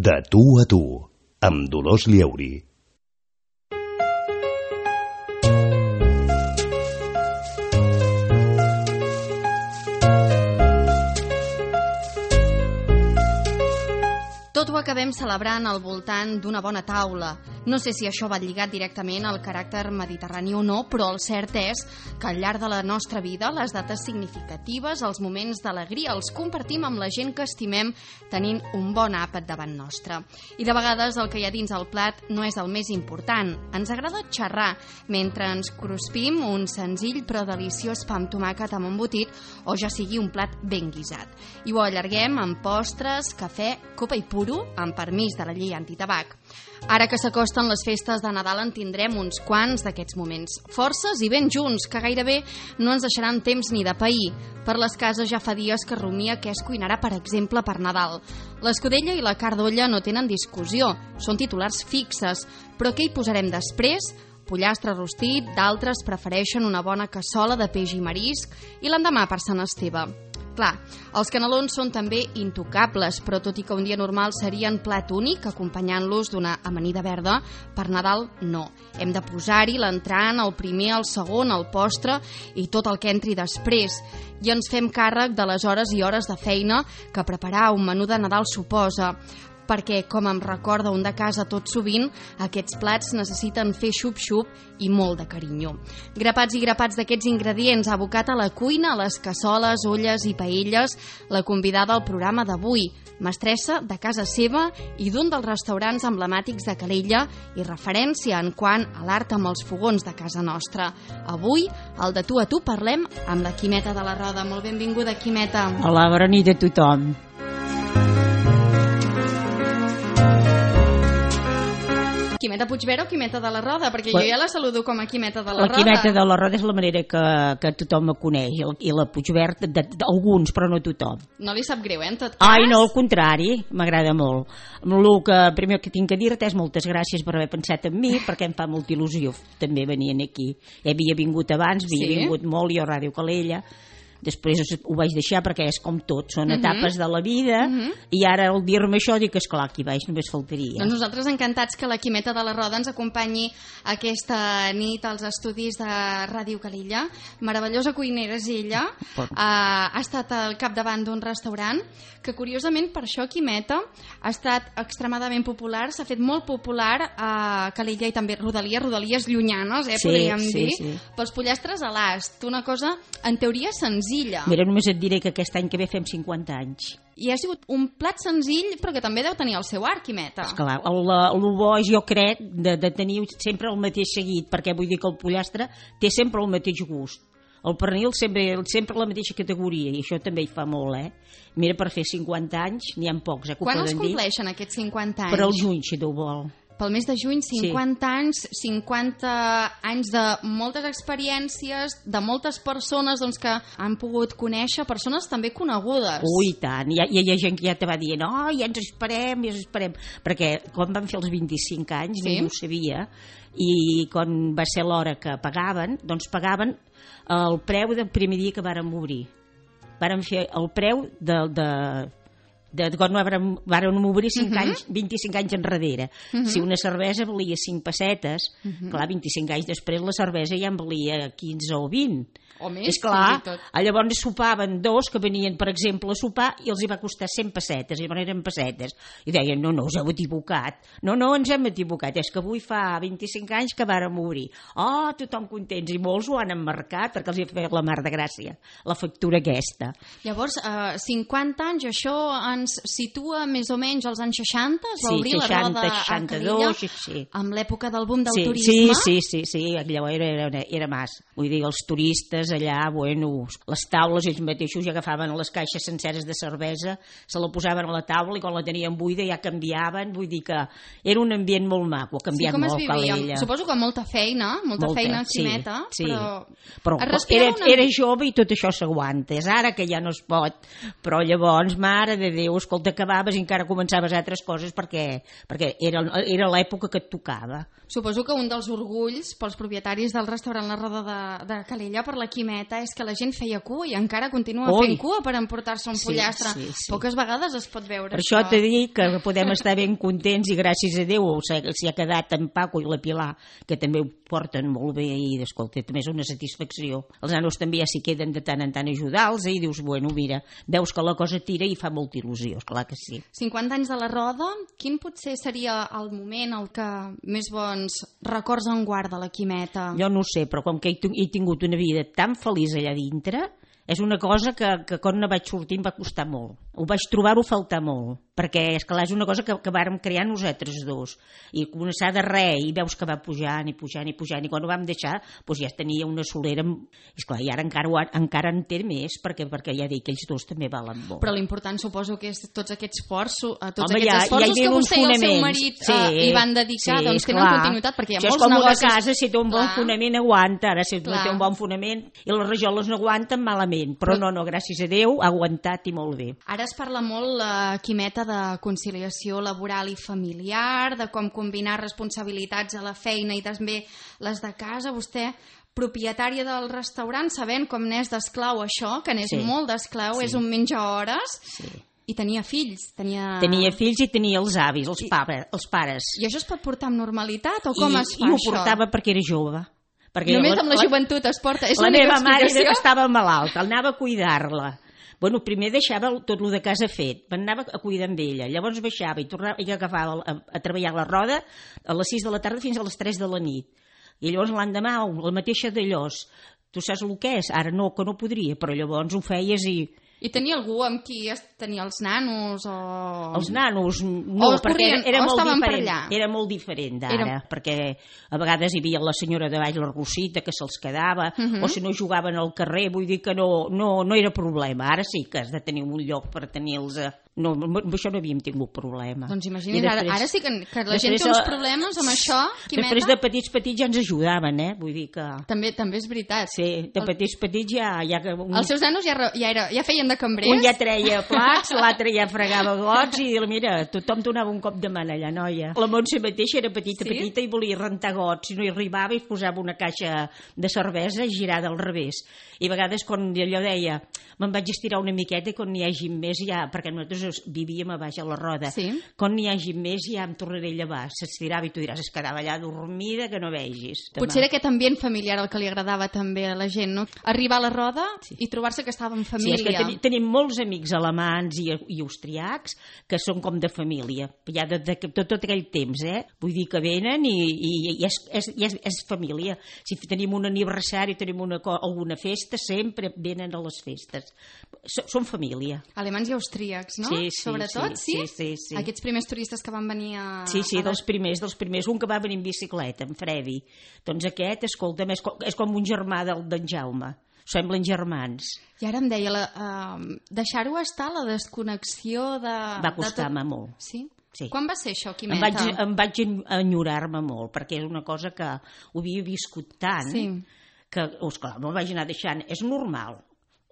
De tu a tu, amb Dolors Lleuri. Tot ho acabem celebrant al voltant d'una bona taula. No sé si això va lligat directament al caràcter mediterrani o no, però el cert és que al llarg de la nostra vida les dates significatives, els moments d'alegria, els compartim amb la gent que estimem tenint un bon àpat davant nostre. I de vegades el que hi ha dins el plat no és el més important. Ens agrada xerrar mentre ens cruspim un senzill però deliciós pa amb tomàquet amb embotit o ja sigui un plat ben guisat. I ho allarguem amb postres, cafè, copa i puro, amb permís de la llei antitabac. Ara que s'acosten les festes de Nadal en tindrem uns quants d'aquests moments forces i ben junts, que gairebé no ens deixaran temps ni de pair. Per les cases ja fa dies que rumia què es cuinarà, per exemple, per Nadal. L'escudella i la carn d'olla no tenen discussió, són titulars fixes, però què hi posarem després? Pollastre rostit, d'altres prefereixen una bona cassola de peix i marisc i l'endemà per Sant Esteve. Clar, els canelons són també intocables, però tot i que un dia normal serien plat únic, acompanyant-los d'una amanida verda, per Nadal no. Hem de posar-hi l'entrant, el primer, el segon, el postre i tot el que entri després. I ens fem càrrec de les hores i hores de feina que preparar un menú de Nadal suposa, perquè, com em recorda un de casa tot sovint, aquests plats necessiten fer xup-xup i molt de carinyo. Grapats i grapats d'aquests ingredients, abocat a la cuina, a les cassoles, olles i paelles, la convidada al programa d'avui, mestressa de casa seva i d'un dels restaurants emblemàtics de Calella i referència en quant a l'art amb els fogons de casa nostra. Avui, al De tu a tu, parlem amb la Quimeta de la Roda. Molt benvinguda, Quimeta. Hola, bona nit a tothom. Quimeta Puigvera o Quimeta de la Roda? Perquè jo ja la saludo com a Quimeta de la Roda. La Quimeta de la Roda és la manera que tothom me coneix, i la Puigvert d'alguns, però no tothom. No li sap greu, en tot cas? Ai, no, al contrari, m'agrada molt. El que primer que tinc a dir-te és moltes gràcies per haver pensat en mi, perquè em fa molta il·lusió també venint aquí. Havia vingut abans, havia vingut molt jo a Ràdio Calella, després ho vaig deixar perquè és com tot, són etapes de la vida, i ara al dir-me això dic, esclar, aquí baix només faltaria. Doncs nosaltres encantats que la Quimeta de la Roda ens acompanyi aquesta nit als estudis de Ràdio Calella. Meravellosa cuinera és ella, ha estat al capdavant d'un restaurant que curiosament per això Quimeta ha estat extremadament popular, s'ha fet molt popular a Calella i també rodalies llunyanes, podríem dir, pels pollastres a l'ast, una cosa en teoria senzilla. Mira, només et diré que aquest any que ve fem 50 anys. I ha sigut un plat senzill, però que també deu tenir el seu art, Quimeta. Esclar, el bo és, jo crec, de tenir sempre el mateix seguit, perquè vull dir que el pollastre té sempre el mateix gust. El pernil sempre la mateixa categoria, i això també hi fa molt, Mira, per fer 50 anys n'hi ha pocs, que quan els compleixen aquests 50 anys? Per al juny, si Déu vol. Pel mes de juny, 50 anys, 50 anys de moltes experiències, de moltes persones que han pogut conèixer, persones també conegudes. Ui, tant, hi ha gent que ja te va dient, ja ens esperem, perquè quan van fer els 25 anys ningú ho sabia, i quan va ser l'hora que pagaven, doncs pagaven el preu del primer dia que vàrem obrir. Vàrem fer el preu de quan vàrem obrir 25 anys enrere. Si una cervesa valia 5 pessetes, clar, 25 anys després la cervesa ja en valia 15 o 20. O més, és clar, llavors sopaven dos que venien, per exemple, a sopar i els hi va costar 100 pessetes, llavors eren pessetes. I deien, no, us heu equivocat. No, ens hem equivocat, és que avui fa 25 anys que vàrem obrir. Tothom contents, i molts ho han emmarcat perquè els hi ha fet la mar de gràcia, la factura aquesta. Llavors, 50 anys, això ens situa més o menys als anys 60? Es va obrir la Roda a Calella, amb l'època del boom del turisme? Sí, llavors era mas. Vull dir, els turistes allà, les taules ells mateixos ja agafaven les caixes senceres de cervesa, se la posaven a la taula i quan la tenien buida ja canviaven, vull dir que era un ambient molt maco, ha canviat molt Calella. Suposo que molta feina, Quimeta, però era jove i tot això s'aguanta, és ara que ja no es pot, però llavors, mare de Déu, Déu, escolta, acabaves i encara començaves altres coses perquè era l'època que et tocava. Suposo que un dels orgulls pels propietaris del restaurant La Roda de Calella per la Quimeta és que la gent feia cua i encara continua fent cua per emportar-se un pollastre. Poques vegades es pot veure per això t'he dit que podem estar ben contents i gràcies a Déu s'hi ha quedat en Paco i la Pilar, que també ho porten molt bé i, escolta, també és una satisfacció. Els nanos també ja s'hi queden de tant en tant a ajudar-los i dius, bueno, mira, veus que la cosa tira i fa molta il·lusió, esclar que sí. 50 anys de La Roda, quin potser seria el moment el que més bons records en guarda la Quimeta? Jo no ho sé, però com que he tingut una vida tan feliç allà dintre, és una cosa que quan ne vaig sortir em va costar molt. Ho vaig trobar-ho a faltar molt, perquè esclar, és una cosa que vàrem crear nosaltres dos, i començar de res, i veus que va pujant, i quan ho vam deixar, doncs ja tenia una solera, i esclar, i ara encara en té més, perquè ja dic que ells dos també valen molt. Però l'important suposo que és tots aquests esforços que vostè i el seu marit hi van dedicar, doncs tenen continuïtat, perquè hi ha molts negocis. Això és com una casa, si té un bon fonament aguanta, ara si no té un bon fonament i les rajoles no aguanten, malament, però no, gràcies a Déu, ha aguantat i molt bé. Ara es parla molt, la Quimeta, de conciliació laboral i familiar, de com combinar responsabilitats a la feina i també les de casa. Vostè, propietària del restaurant, sabent com n'és d'esclau això, que n'és molt d'esclau, és un menja-hores, i tenia fills. Tenia fills i tenia els avis, els pares. I això es pot portar amb normalitat o com es fa això? I ho portava perquè era jove. Només amb la joventut es porta? La meva mare estava malalta, anava a cuidar-la. Bueno, primer deixava tot el de casa fet, anava a cuidar amb ella, llavors baixava i agafava a treballar a La Roda a les 6 de la tarda fins a les 3 de la nit. I llavors l'endemà, la mateixa d'allòs. Tu saps el que és? Ara no, que no podria, però llavors ho feies i... I tenia algú amb qui tenia els nanos? Els nanos, no, perquè era molt diferent. Era molt diferent d'ara, perquè a vegades hi havia la senyora de baix, la Rosita, que se'ls quedava, o si no jugaven al carrer, vull dir que no era problema. Ara sí que has de tenir un lloc per tenir-los... No, amb això no havíem tingut problema. Doncs imagina't, ara sí que la gent té uns problemes amb això, Quimeta. Després de petits ja ens ajudaven, vull dir que... També és veritat. Sí, de petits ja... Els seus nanos ja feien de cambrers? Un ja treia plats, l'altre ja fregava gots i mira, tothom donava un cop de mà allà, noia. La Montse mateixa era petita i volia rentar gots, i no hi arribava i posava una caixa de cervesa girada al revés. I a vegades quan allò deia, me'n vaig estirar una miqueta i quan n'hi hagi més ja, perquè nosaltres vivíem a baix a La Roda, quan n'hi hagi més ja em tornaré a llevar. S'estirava i tu diràs, es quedava allà dormida que no vegis. Potser era aquest ambient familiar el que li agradava també a la gent, no? Arribar a La Roda i trobar-se que estava en família. Sí, és que tenim molts amics alemans i austriacs que són com de família, ja de tot aquell temps, Vull dir que venen i és família. Si tenim un aniversari, tenim alguna festa, sempre venen a les festes. Són família. Alemanys i austríacs, no? Sobretot, sí? Sí. Aquests primers turistes que van venir a... Sí, dels primers. Un que va venir en bicicleta, en Fredi. Doncs aquest, escolta'm, és com un germà d'en Jaume. Semblen germans. I ara em deia, deixar-ho estar, la desconnexió de... Va costar-me molt. Sí? Quan va ser això, Quimeta? Em vaig enyorar-me molt, perquè és una cosa que ho havia viscut tant que, esclar, me'l vaig anar deixant. És normal.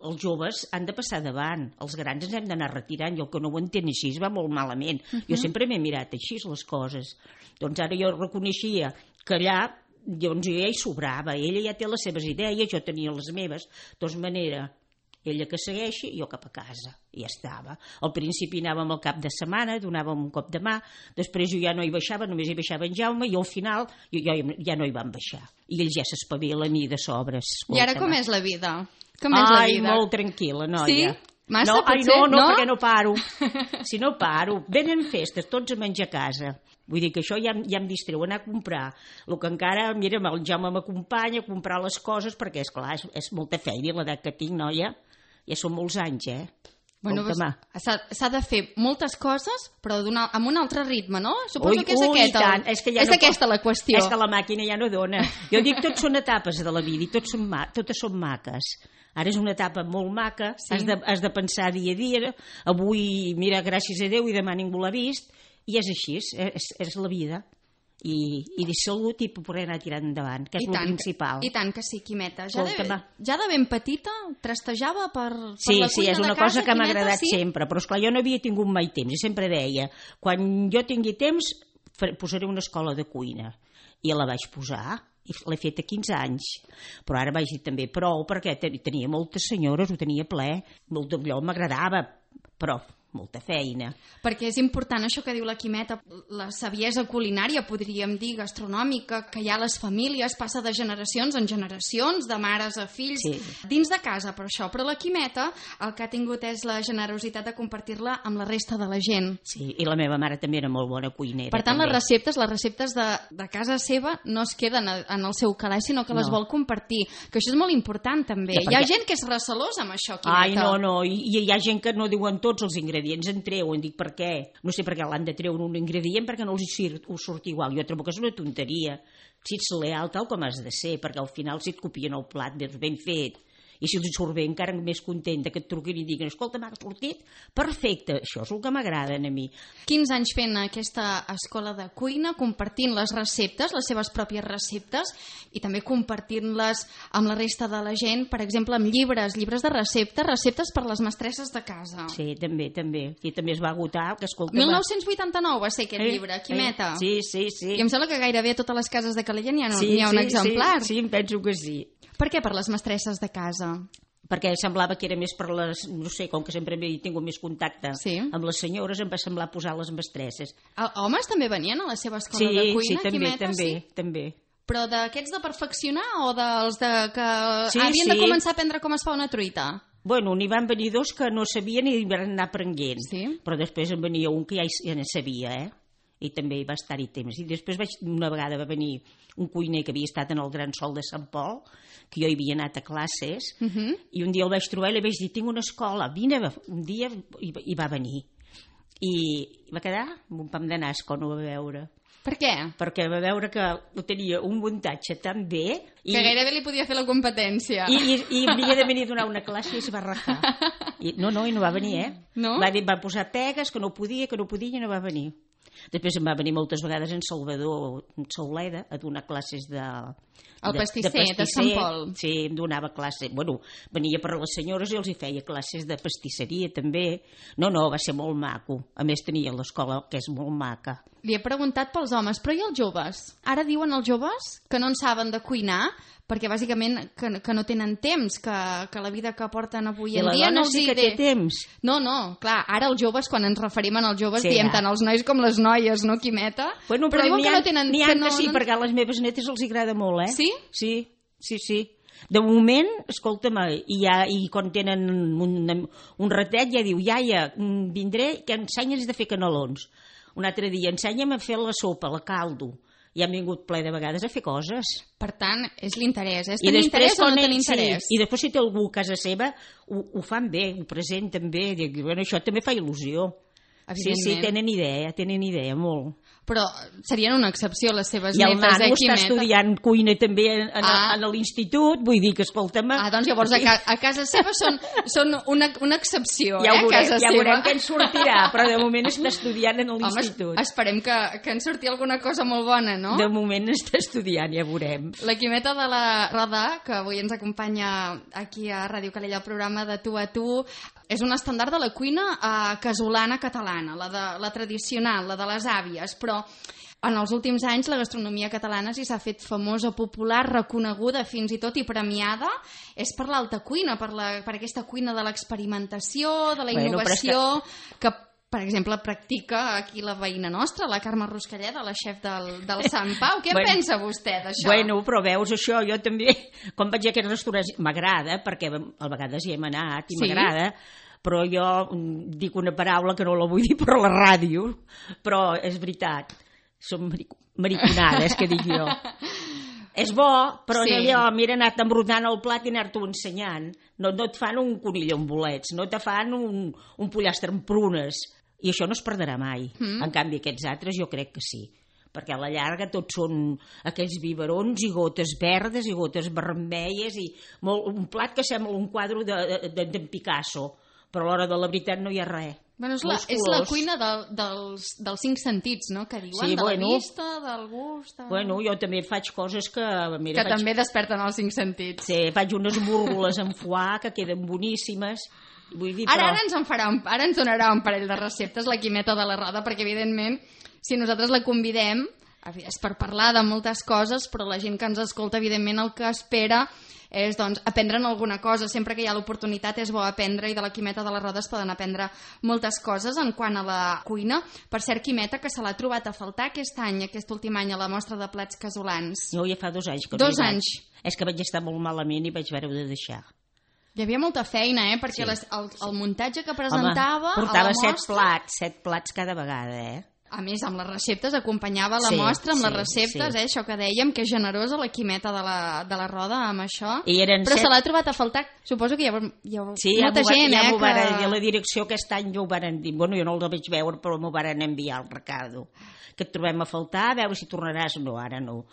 Els joves han de passar davant, els grans ens hem d'anar retirant, i el que no ho entén així va molt malament. Jo sempre m'he mirat així les coses. Doncs ara jo reconeixia que allà doncs ja hi sobrava, ella ja té les seves idees, jo tenia les meves, de tota manera, ella que segueixi, jo cap a casa, i ja estava. Al principi anàvem al cap de setmana, donàvem un cop de mà, després jo ja no hi baixava, només hi baixava en Jaume, i al final ja no hi vam baixar. I ells ja s'espavilen i de sobres. I ara com és la vida? Molt tranquil·la, noia. Sí? Massa, potser? No, perquè no paro. Si no paro, venen festes, tots a menjar a casa. Vull dir que això ja em distreu, anar a comprar. El que encara, mira, el Jaume m'acompanya a comprar les coses, perquè, esclar, és molta feina l'edat que tinc, noia. Ja són molts anys, Bueno, s'ha de fer moltes coses, però amb un altre ritme, no? Suposo que és aquesta la qüestió. És que la màquina ja no dona. Jo dic, tots són etapes de la vida i totes són maques. Ara és una etapa molt maca, has de pensar dia a dia, avui, mira, gràcies a Déu, i demà ningú l'ha vist, i és així, és la vida. i de salut i poder anar tirant endavant, que és el principal. I tant que sí, Quimeta. Ja de ben petita trastejava per la cuina de casa. Sí, és una cosa que m'ha agradat sempre, però esclar, jo no havia tingut mai temps, i sempre deia, quan jo tingui temps posaré una escola de cuina, i la vaig posar, i l'he fet a 15 anys, però ara vaig dir també prou, perquè tenia moltes senyores, ho tenia ple, allò m'agradava, però molta feina. Perquè és important això que diu la Quimeta, la saviesa culinària, podríem dir, gastronòmica, que hi ha a les famílies, passa de generacions en generacions, de mares a fills, dins de casa, per això. Però la Quimeta el que ha tingut és la generositat de compartir-la amb la resta de la gent. Sí, i la meva mare també era molt bona cuinera. Per tant, les receptes de casa seva no es queden en el seu calaix, sinó que les vol compartir, que això és molt important també. Hi ha gent que és recelosa amb això, Quimeta. Ai, no, i hi ha gent que no diuen tots els ingredients en treuen, dic per què? No sé per què l'han de treure un ingredient perquè no els surt igual. Jo trobo que és una tonteria. Si ets leal tal com has de ser, perquè al final si et copien el plat ben fet, i si els surt bé encara més contenta que et truquin i diguin escolta, m'ha sortit perfecte, això és el que m'agraden a mi. 15 anys fent aquesta escola de cuina, compartint les receptes, les seves pròpies receptes, i també compartint-les amb la resta de la gent, per exemple amb llibres de receptes per les mestresses de casa. Sí, també, i també es va agotar, que escolta... 1989 va ser aquest llibre, Quimeta. Sí. I em sembla que gairebé a totes les cases de Calella n'hi ha un exemplar. Sí, em penso que sí. Per què per les mestresses de casa? Perquè semblava que era més per les... No sé, com que sempre he tingut més contacte amb les senyores, em va semblar posar les mestresses. Homes també venien a la seva escola de cuina, Quimeta? Sí, també. Però d'aquests de perfeccionar o dels que havien de començar a aprendre com es fa una truita? Bueno, n'hi van venir dos que no sabien i van anar aprenent. Però després en venia un que ja ne sabia, i també hi va estar-hi temps. I després una vegada va venir un cuiner que havia estat en el Gran Sol de Sant Pol, que jo hi havia anat a classes, i un dia el vaig trobar i li vaig dir, tinc una escola, vine, un dia hi va venir. I va quedar amb un pam de nas quan ho va veure. Per què? Perquè va veure que ho tenia un muntatge tan bé... Que gairebé li podia fer la competència. I havia de venir a donar una classe i es va rajar. No, i no va venir, No? Va posar pegues, que no podia i no va venir. Després em va venir moltes vegades en Salvador Sauleda a donar classes de pastisser de Sant Pol. Sí, em donava classe. Bueno, venia per les senyores i els hi feia classes de pastisseria també. No, va ser molt maco. A més tenia l'escola que és molt maca. Li he preguntat pels homes, però i els joves? Ara diuen els joves que no en saben de cuinar perquè bàsicament que no tenen temps, que la vida que porten avui en dia no els hi té temps. No, clar, ara els joves, quan ens referim als joves, diem tant els nois com les noies, no, Quimeta? Bueno, però diuen que no tenen... N'hi ha que sí, perquè a les meves netes els agrada molt, Sí? Sí. De moment, escolta'm, i quan tenen un ratet ja diu, iaia, vindré, que ensenya'ns de fer canelons. Un altre dia, ensenya'm a fer la sopa, la caldo. I han vingut ple de vegades a fer coses. Per tant, és l'interès. És tenir interès o no tenir interès? Sí. I després si té algú a casa seva, ho fan bé, ho presenten bé. Dic, bueno, això també fa il·lusió. Sí, tenen idea, molt. Però serien una excepció les seves netes. I el nano Quimeta està estudiant cuina també a l'institut, vull dir que, escolta'm... doncs llavors a casa seva són una excepció, ja casa seva. Ja veurem què en sortirà, però de moment està estudiant en l'institut. Home, esperem que en surti alguna cosa molt bona, no? De moment està estudiant, ja veurem. La Quimeta de la Roda, que avui ens acompanya aquí a Ràdio Calella, el programa de Tu a Tu, és un estàndard de la cuina casolana catalana, la tradicional, la de les àvies, però en els últims anys la gastronomia catalana, si s'ha fet famosa, popular, reconeguda fins i tot i premiada, és per l'alta cuina, per aquesta cuina de l'experimentació, de la innovació, que per exemple practica aquí la veïna nostra, la Carme Ruscalleda, la xef del Sant Pau. Què en pensa vostè d'això? Bueno, però veus això, jo també, quan vaig a aquests restaurants, m'agrada, perquè a vegades hi hem anat i m'agrada, però jo dic una paraula que no la vull dir per la ràdio, però és veritat, són mariconades, que dic jo. És bo, però allò, mira, anar-te embrutant el plat i anar-t'ho ensenyant. No et fan un conill amb bolets, no te fan un pollastre amb prunes, i això no es perdrà mai. En canvi, aquests altres jo crec que sí, perquè a la llarga tots són aquells biberons i gotes verdes i gotes vermelles i un plat que sembla un quadre d'en Picasso, però a l'hora de la veritat no hi ha res. Bueno, és la cuina dels 5 sentits, no?, que diuen, de la vista, del gust... Bueno, jo també faig coses que... Mira, que també desperten els 5 sentits. Sí, faig unes múrgoles amb foie que queden boníssimes. Vull dir, ara ens donarà un parell de receptes la Quimeta de la Roda, perquè evidentment, si nosaltres la convidem, és per parlar de moltes coses, però la gent que ens escolta, evidentment, el que espera és doncs, aprendre'n alguna cosa. Sempre que hi ha l'oportunitat és bo aprendre, i de la Quimeta de la Roda es poden aprendre moltes coses en quant a la cuina. Per cert, Quimeta, que se l'ha trobat a faltar aquest últim any a la mostra de plats casolans. Jo ja fa 2 anys que 2 anys. És que vaig estar molt malament i vaig haver-ho de deixar. Hi havia molta feina, perquè sí. el muntatge que presentava... Home, portava a la mostra... 7 plats cada vegada, A més, amb les receptes, acompanyava la mostra amb les receptes, això que dèiem, que és generosa la Quimeta de la Roda amb això. Però se l'ha trobat a faltar, suposo que hi ha molta gent, ja m'ho van dir, la direcció aquest any ja ho van dir, bueno, jo no el vaig veure, però m'ho van enviar al Ricardo, que et trobem a faltar, a veure si tornaràs. No, ara no.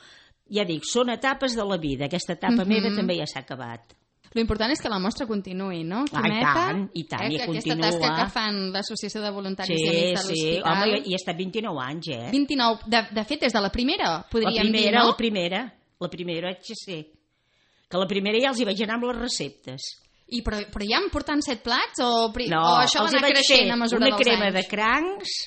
Ja dic, són etapes de la vida, aquesta etapa meva també ja s'ha acabat. L'important és que la mostra continuï, no, Quimeta? I tant, i aquesta continua. Aquesta tasca que fan l'Associació de Voluntaris i Amics de l'Hospital. Sí, home, i ha estat 29 anys, 29, de fet, des de la primera, podríem dir, no? La primera, haig de ser. Que la primera ja els hi vaig anar amb les receptes. Però ja em porten 7 plats? O això va els anar creixent a mesura dels anys? Una crema de crancs,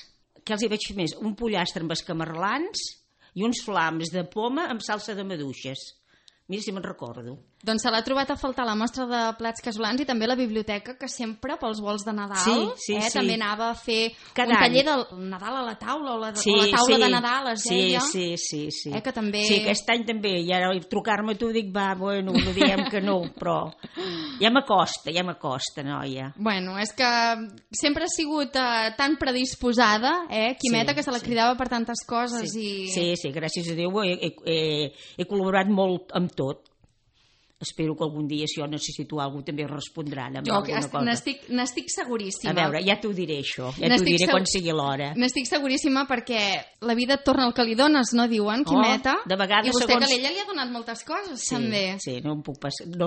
que els hi vaig fer més, un pollastre amb escamarlans i uns flams de poma amb salsa de maduixes. Mira si me'n recordo. Doncs se l'ha trobat a faltar la mostra de plats casolans i també la biblioteca, que sempre pels vols de Nadal també anava a fer un taller del Nadal a la taula o la taula de Nadal, es deia. Sí. Que també... Sí, aquest any també. I ara trucar-me tu dic, bueno, no diem que no, però ja m'acosta, noia. Bueno, és que sempre ha sigut tan predisposada, Quimeta, que se la cridava per tantes coses. Sí, gràcies a Déu he col·laborat molt amb tot. Espero que algun dia, si jo necessito alguna cosa, també respondran amb alguna cosa. N'estic seguríssima. A veure, ja t'ho diré, això. Ja t'ho diré quan sigui l'hora. N'estic seguríssima perquè la vida et torna el que li dones, no diuen, Quimeta? De vegades, i vostè, segons... que l'ella li ha donat moltes coses, també. Sí, no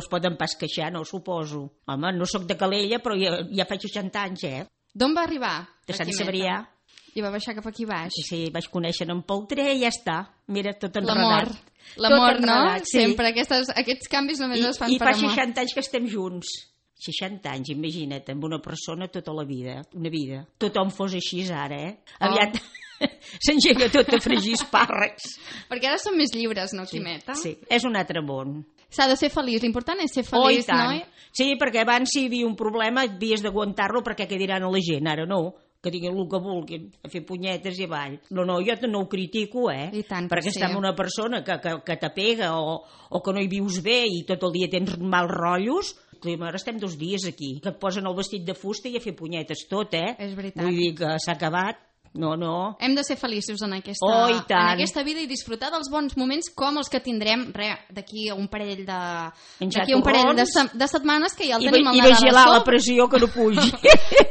es poden pas queixar, no, suposo. Home, no sóc de Calella, però ja faig 60 anys, D'on va arribar? De Sant Cebrià. I va baixar cap aquí baix. Sí, vaig conèixer en Peltré i ja està. Mira, tot enredat. L'amor, no? Sí. Sempre aquests canvis només es fan per amor. I fa 60 anys que estem junts. 60 anys, imagina't, amb una persona tota la vida, una vida. Tothom fos així ara, Aviat s'engega tot a fregir espàrrecs. Perquè ara som més lliures, no, Quimeta? Sí, és un altre món. S'ha de ser feliç, l'important és ser feliç, no? Sí, perquè abans si hi havia un problema havies d'aguantar-lo perquè què diran a la gent, ara no. Que diguin el que vulguin, a fer punyetes i avall. No, jo no ho critico, perquè estar amb una persona que t'apega o que no hi vius bé i tot el dia tens mals rotllos. Ara estem 2 dies aquí, que et posen el vestit de fusta i a fer punyetes tot, És veritat. Vull dir que s'ha acabat. No. Hem de ser feliços en aquesta vida i disfrutar dels bons moments com els que tindrem d'aquí a un parell de setmanes, que ja el tenim al Nadal. I vigilar la pressió que no pugi.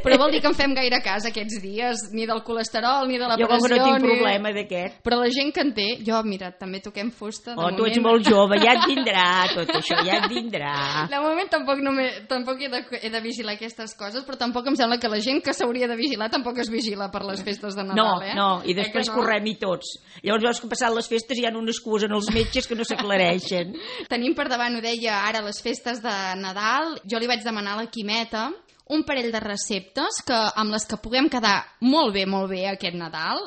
Però vol dir que en fem gaire cas aquests dies, ni del colesterol, ni de la pressió. Jo com que no tinc problema d'aquest. Però la gent que en té, jo, mira, també toquem fusta. Tu ets molt jove, ja et vindrà tot això, ja et vindrà. De moment tampoc he de vigilar aquestes coses, però tampoc em sembla que la gent que s'hauria de vigilar tampoc es vigila per les festes de Nadal, No, i després correm-hi tots. Llavors veus que passant les festes hi ha una excusa en els metges que no s'aclareixen. Tenim per davant, ho deia ara, les festes de Nadal. Jo li vaig demanar a la Quimeta un parell de receptes amb les que puguem quedar molt bé aquest Nadal,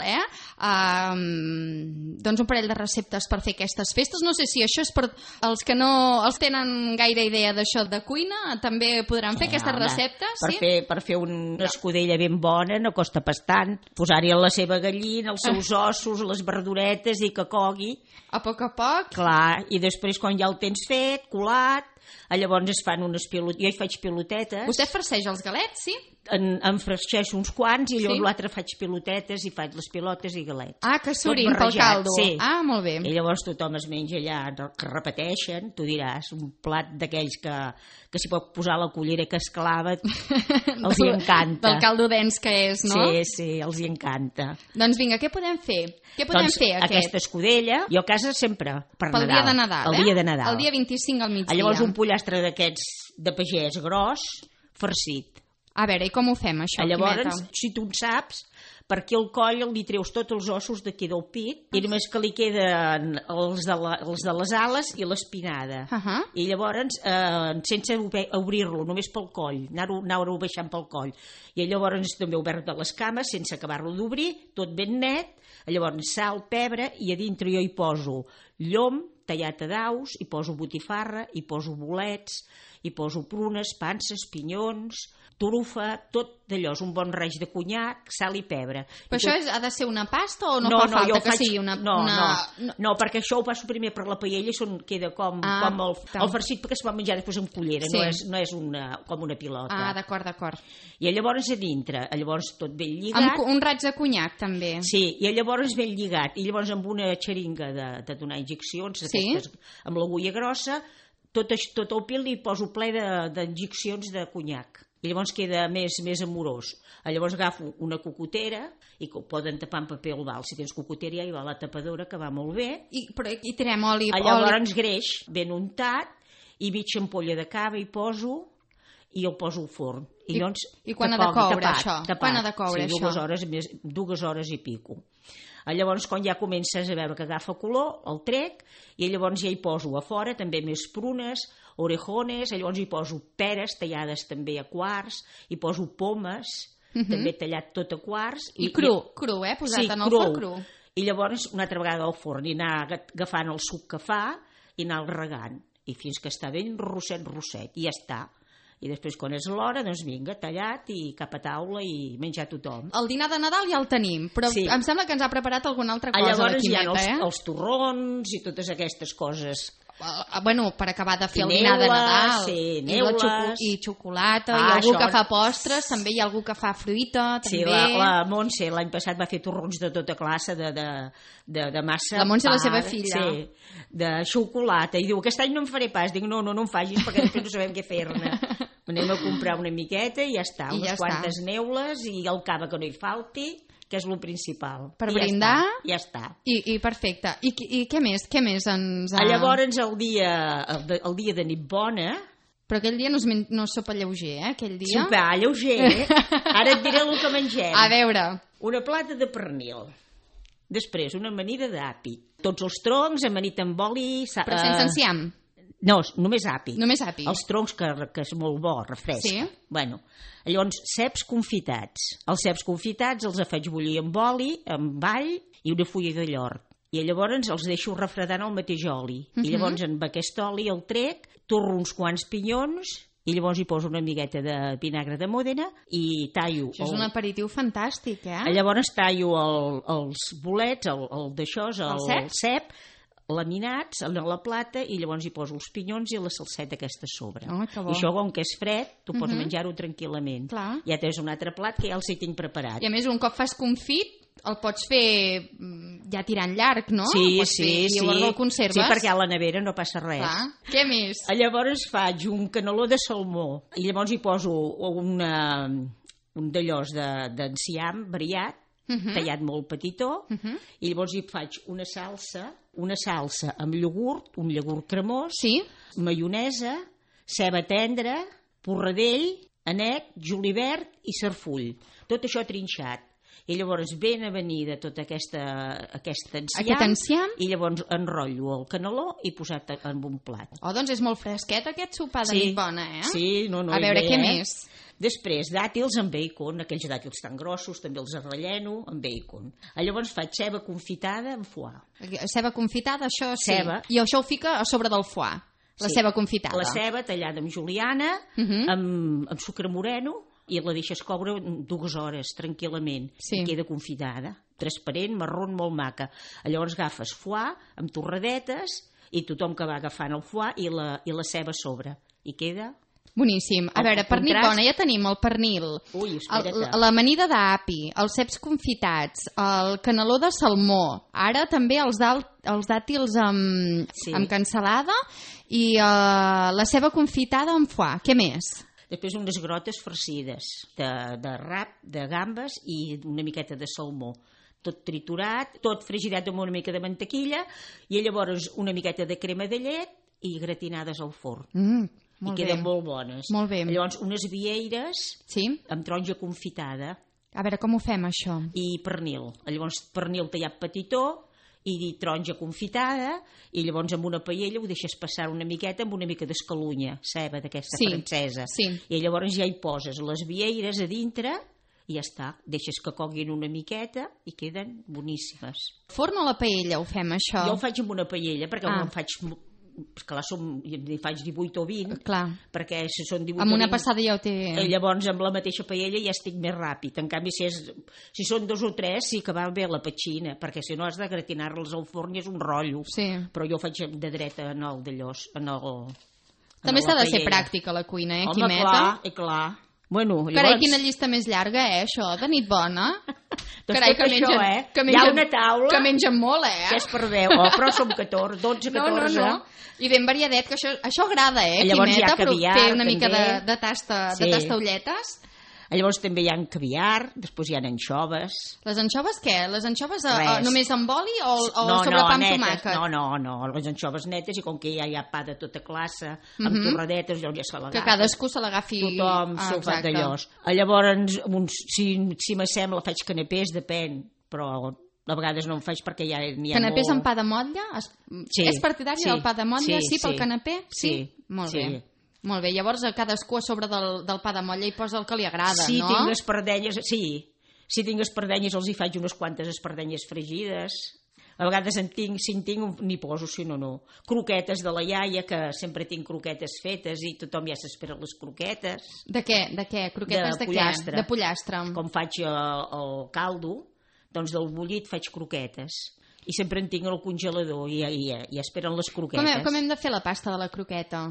doncs un parell de receptes per fer aquestes festes. No sé si això és per els que no els tenen gaire idea d'això de cuina, també podran fer aquestes receptes. Per fer una escudella ben bona no costa pas tant. Posar-hi la seva gallina, els seus ossos, les verduretes i que cogui. A poc. Clar, i després quan ja el tens fet, colat, llavors es fan unes pilotetes. Jo hi faig pilotetes. Vostè farceix els galets, sí? En freixeixo uns quants i llavors l'altre faig pilotetes i faig les pilotes i galets. Que surin pel caldo. Sí. Molt bé. I llavors tothom es menja allà, que repeteixen, tu diràs, un plat d'aquells que s'hi pot posar la cullera que es clava, els hi encanta. Del caldo dens que és, no? Sí, els hi encanta. Doncs vinga, què podem fer? Aquesta escudella, jo a casa sempre per Nadal. Pel dia de Nadal, El dia de Nadal. El dia 25 al migdia. Llavors un pollastre d'aquests de pagès gros, farcit. A veure, i com ho fem, això, Llavors, Quimeta? si tu en saps, perquè el coll li treus tots els ossos d'aquí del pit i només que li queden els de les ales i l'espinada. I llavors, sense obrir-lo, només pel coll, anar-ho baixant pel coll. I llavors també obert de les cames, sense acabar-lo d'obrir, tot ben net. Llavors, sal, pebre, i a dintre jo hi poso llom, tallat a daus, hi poso botifarra, hi poso bolets, hi poso prunes, panses, pinyons, trufa, tot d'allò, és un bon reix de conyac, sal i pebre. Però això ha de ser una pasta o no fa falta que sigui una... No, perquè això ho passo primer per la paella i queda com el farcit perquè es va menjar després amb cullera, no és com una pilota. Ah, d'acord. I llavors a dintre, llavors tot ben lligat. Amb un raig de conyac, també. Sí, i llavors ben lligat. I llavors amb una xeringa de donar injeccions, aquestes, amb l'agulla grossa, tot el pil li poso ple d'injeccions de conyac. I llavors queda més amorós. Llavors agafo una cocotera i que ho poden tapar amb paper albal. Si tens cocotera ja hi va la tapadora, que va molt bé. I tirem oli. Llavors greix ben untat i mitja ampolla de cava hi poso i el poso al forn. I quan ha de coure això? Quan ha de coure això? 2 hores i pico. Llavors, quan ja comences a veure que agafa color, el trec, i llavors ja hi poso a fora també més prunes, orejones, llavors hi poso peres tallades també a quarts, hi poso pomes, també tallat tot a quarts. I cru, posat en el forn cru. I llavors, una altra vegada al forn, i anar agafant el suc que fa i anar regant, i fins que està ben rosset, i ja està. I després, quan és l'hora, doncs vinga, tallat i cap a taula i menjar tothom. El dinar de Nadal ja el tenim, però em sembla que ens ha preparat alguna altra cosa. Llavors hi ha els torrons i totes aquestes coses. Bueno, per acabar de fer el dinar de Nadal. I xocolata, i algú que fa postres, també hi ha algú que fa fruita, també. Sí, la Montse l'any passat va fer torrons de tota classe, de massa. La Montse, la seva filla. Sí, de xocolata. I diu, aquest any no en faré pas. Dic, no em facis perquè després no sabem què fer-ne. Anem a comprar una miqueta i ja està. Unes quantes neules i el cava que no hi falti, que és el principal. Per brindar? Ja està. I perfecte. I què més? Què més ens ha... Llavors, el dia de nit bona... Però aquell dia no és sopa lleuger, aquell dia... Sopar lleuger, Ara et diré el que mengem. A veure... Una plata de pernil. Després, una amanida d'api. Tots els troncs, amanit amb oli... Però sense enciam? No, només api. Només api. Els troncs, que és molt bo, refresca. Sí. Bueno, llavors, ceps confitats. Els ceps confitats els faig bullir amb oli, amb all i una fulla de llort. I llavors els deixo refredant al mateix oli. I llavors amb aquest oli el trec, torro uns quants pinyons i llavors hi poso una amigueta de vinagre de Mòdena i tallo... Això és un aperitiu fantàstic, Llavors tallo els bolets, el cep, laminats a la plata i llavors hi poso els pinyons i la salseta aquesta a sobre. Oh, I això, com que és fred, tu pots menjar-ho tranquil·lament. Clar. Ja tens un altre plat que ja el tinc preparat. I a més, un cop fas confit, el pots fer ja tirant llarg, no? Sí. I llavors el conserves. Sí, perquè a la nevera no passa res. Clar. Què més? Llavors faig un caneló de salmó i llavors hi poso un d'allòs d'enciam variat, tallat molt petitó, i llavors hi faig una salsa amb iogurt, un iogurt cremós, maionesa, ceba tendra, porradell, anet, julivert i sarfull. Tot això trinxat. I llavors ben avenida tota aquest enciam, i llavors enrotllo el caneló i posat en un plat. Oh, doncs és molt fresquet aquest sopar de nit bona, Sí, A veure, què més? Després, dàtils amb bacon, aquells dàtils tan grossos, també els relleno amb bacon. Llavors faig ceba confitada amb foie. Ceba confitada, això sí. Ceba. I això ho fica a sobre del foie, la ceba confitada. La ceba tallada amb juliana, amb sucre moreno, i la deixes coure 2 hores tranquil·lament. I queda confitada, transparent, marrón, molt maca. Llavors agafes foie amb torradetes i tothom que va agafant el foie i la ceba a sobre. I queda... Boníssim. A veure, per nit bona ja tenim el pernil, l'amanida d'api, els ceps confitats, el caneló de salmó, ara també els dàtils amb cansalada i la ceba confitada amb foie. Què més? Després unes grotes farcides de rap, de gambes i una miqueta de salmó. Tot triturat, tot fregidat amb una mica de mantequilla i llavors una miqueta de crema de llet i gratinades al forn. i queden molt bones. Molt bé. Llavors, unes vieires amb taronja confitada. A veure, com ho fem, això? I pernil. Llavors, pernil tallat petitó i taronja confitada, i llavors amb una paella ho deixes passar una miqueta amb una mica d'escalunya, ceba d'aquesta francesa. I llavors ja hi poses les vieires a dintre i ja està. Deixes que coguin una miqueta i queden boníssimes. Forn o la paella ho fem, això? Jo ho faig amb una paella, perquè no en faig... Clar, hi faig 18 o 20, perquè si són 18 amb o 20... una passada ja ho té... Llavors, amb la mateixa paella ja estic més ràpid. En canvi, si són 2 o 3, sí que va bé la petxina, perquè si no has de gratinar-los al forn i és un rotllo. Però jo ho faig de dreta en el d'allòs, També s'ha de ser pràctica a la cuina, Quimeta? Home, clar. Bueno, llavors... Carai, quina llista més llarga, això, de nit bona. Doncs carai, que mengen, això, hi ha una taula... Que mengen molt, Que és per 10, però som 14, 12, 14... No. I ben variadet, que això agrada, Llavors Quimeta, però fer una mica de tastaulletes. Llavors també hi ha caviar, després hi ha anxoves. Les anxoves què? Les anxoves només amb oli o sobre pa amb tomàquet? No, les anxoves netes, i com que ja hi ha pa de tota classe, amb torradetes, llavors ja se l'agafa. Que cadascú se l'agafi. Tothom s'ho fa d'allòs. Llavors, si m'assembla, faig canapés, depèn, però a vegades no en faig perquè ja n'hi ha canapés molt... amb pa de motlla? És partidari del pa de motlla? Sí, pel canapé? Sí. Molt bé. Molt bé, llavors cadascú a sobre del pa de motlla hi posa el que li agrada, no? Tinc espardenyes, si tinc espardenyes els hi faig unes quantes espardenyes fregides. A vegades si en tinc n'hi poso, si no. Croquetes de la iaia, que sempre tinc croquetes fetes i tothom ja s'espera les croquetes. De què? Croquetes de pollastre. Què? De pollastre. Com faig el caldo, doncs del bullit faig croquetes. I sempre en tinc al congelador i esperen les croquetes. Com hem de fer la pasta de la croqueta?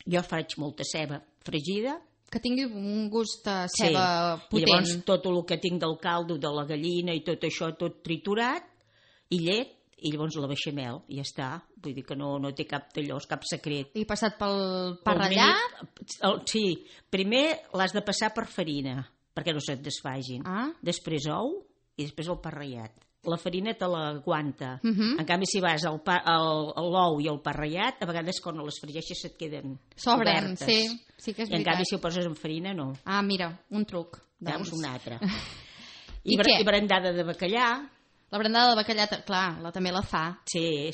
Jo faig molta ceba fregida. Que tingui un gust de ceba potent. I llavors tot el que tinc del caldo, de la gallina i tot això, tot triturat, i llet, i llavors la beixamel, i ja està. Vull dir que no té cap d'allò, cap secret. I passat pel pa ratllat? Sí, primer l'has de passar per farina, perquè no se't desfagin. Després ou i després el pa ratllat. La farina te l'aguanta. En canvi, si vas l'ou i el pa ratllat, a vegades quan les fregeixes se't queden obertes. Sí que és veritat. I en canvi, si ho poses en farina, no. Mira, un truc. Veus, un altre. I brandada de bacallà. La brandada de bacallà, clar, també la fa. Sí.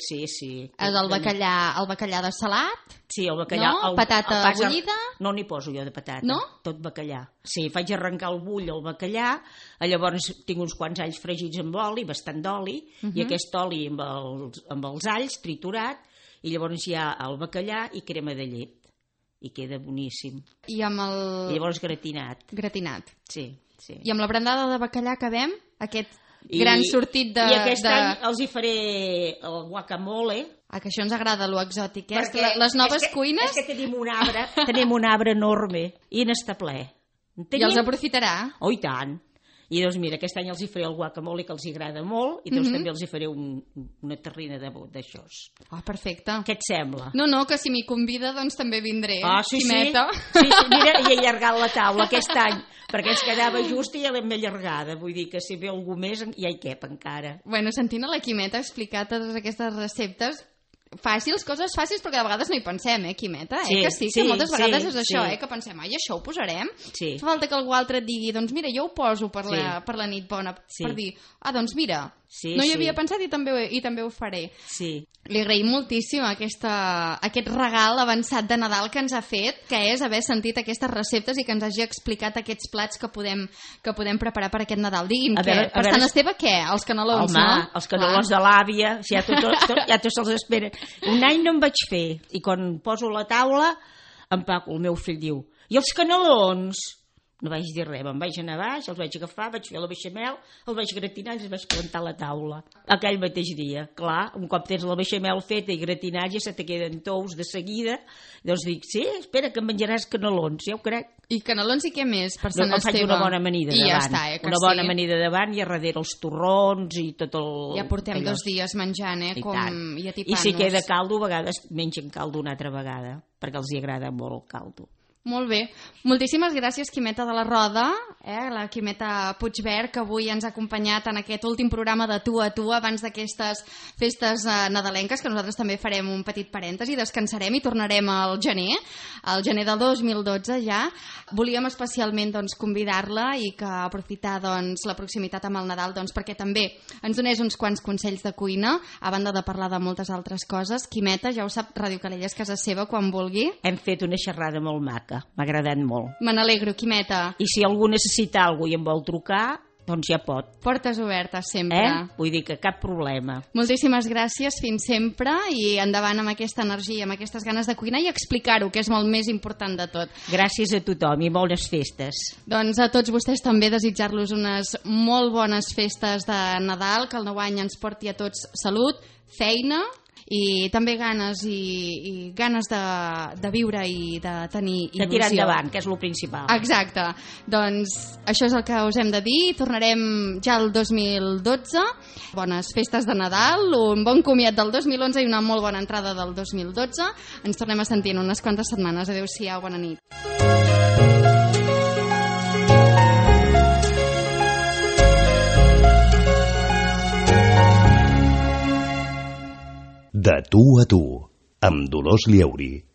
El bacallà de salat? Sí, el bacallà. No? Patata bullida? No n'hi poso jo de patata. No? Tot bacallà. Sí, faig arrencar el bull al bacallà, llavors tinc uns quants alls fregits amb oli, bastant d'oli, i aquest oli amb els alls triturat, i llavors hi ha el bacallà i crema de llet. I queda boníssim. I amb el... I llavors gratinat. Gratinat. Sí. I amb la brandada de bacallà acabem? Aquest gran sortit de... I aquest any els hi faré el guacamole. Que això ens agrada, lo exòtic, les noves cuines... És que tenim un arbre enorme i n'està ple. I els aprofitarà? Oh, i tant. I doncs mira, aquest any els hi faré el guacamole, que els agrada molt, i doncs també els hi faré una terrina d'aixòs. Perfecte. Què et sembla? No, que si m'hi convida doncs també vindré. Sí, Quimeta. Sí, mira, i he allargat la taula aquest any, perquè ens quedava just i ja l'hem allargada. Vull dir que si ve algú més ja hi cap encara. Bueno, sentint a la Quimeta explicar totes aquestes receptes coses fàcils, perquè de vegades no hi pensem, Quimeta? Que moltes vegades és això, que pensem, això ho posarem? Fa falta que algú altre et digui, doncs mira, jo ho poso per la nit bona, per dir, doncs mira, no hi havia pensat i també ho faré. Li agraïm moltíssim aquest regal avançat de Nadal que ens ha fet, que és haver sentit aquestes receptes i que ens hagi explicat aquests plats que podem preparar per aquest Nadal. Digui'm, per Sant Esteve què? Els canelons, no? Home, els canelons de l'àvia, ja tots se'ls esperen. Un any no en vaig fer, i quan poso la taula, en Paco, el meu fill, diu, i els canelons? No vaig dir res, me'n vaig anar baix, els vaig agafar, vaig fer la beixamel, els vaig gratinar i els vaig plantar a la taula. Aquell mateix dia, clar, un cop tens la beixamel feta i gratinat ja se te queden tous de seguida, doncs dic, sí, espera que em menjaràs canelons, ja ho crec. I canelons i què més per Sant Esteve? Faig una bona amanida davant. I ja està, una bona amanida davant i a darrere els torrons i tot el... Ja portem 2 dies menjant, i atipant-nos. I si queda caldo, a vegades mengen caldo una altra vegada, perquè els hi agrada molt el caldo. Molt bé. Moltíssimes gràcies, Quimeta de la Roda, la Quimeta Puigvert, que avui ens ha acompanyat en aquest últim programa de Tu a Tu, abans d'aquestes festes nadalenques, que nosaltres també farem un petit parèntesi, descansarem i tornarem al gener del 2012 ja. Volíem especialment convidar-la i que aprofitar la proximitat amb el Nadal perquè també ens donés uns quants consells de cuina, a banda de parlar de moltes altres coses. Quimeta, ja ho sap, Ràdio Calella és casa seva quan vulgui. Hem fet una xerrada molt maca, m'ha agradat molt. Me n'alegro, Quimeta. I si algú necessita alguna cosa i em vol trucar, doncs ja pot. Portes obertes sempre. Vull dir que cap problema. Moltíssimes gràcies, fins sempre, i endavant amb aquesta energia, amb aquestes ganes de cuinar i explicar-ho, que és molt més important de tot. Gràcies a tothom i bones festes. Doncs a tots vostès també desitjar-los unes molt bones festes de Nadal, que el nou any ens porti a tots salut, feina i també ganes de viure i de tenir il·lusió. De tirar endavant, que és el principal. Exacte. Doncs això és el que us hem de dir. Tornarem ja el 2012. Bones festes de Nadal, un bon comiat del 2011 i una molt bona entrada del 2012. Ens tornem a sentir en unes quantes setmanes. Adéu-siau, bona nit. De Tu a Tu, amb Dolors Lleuri.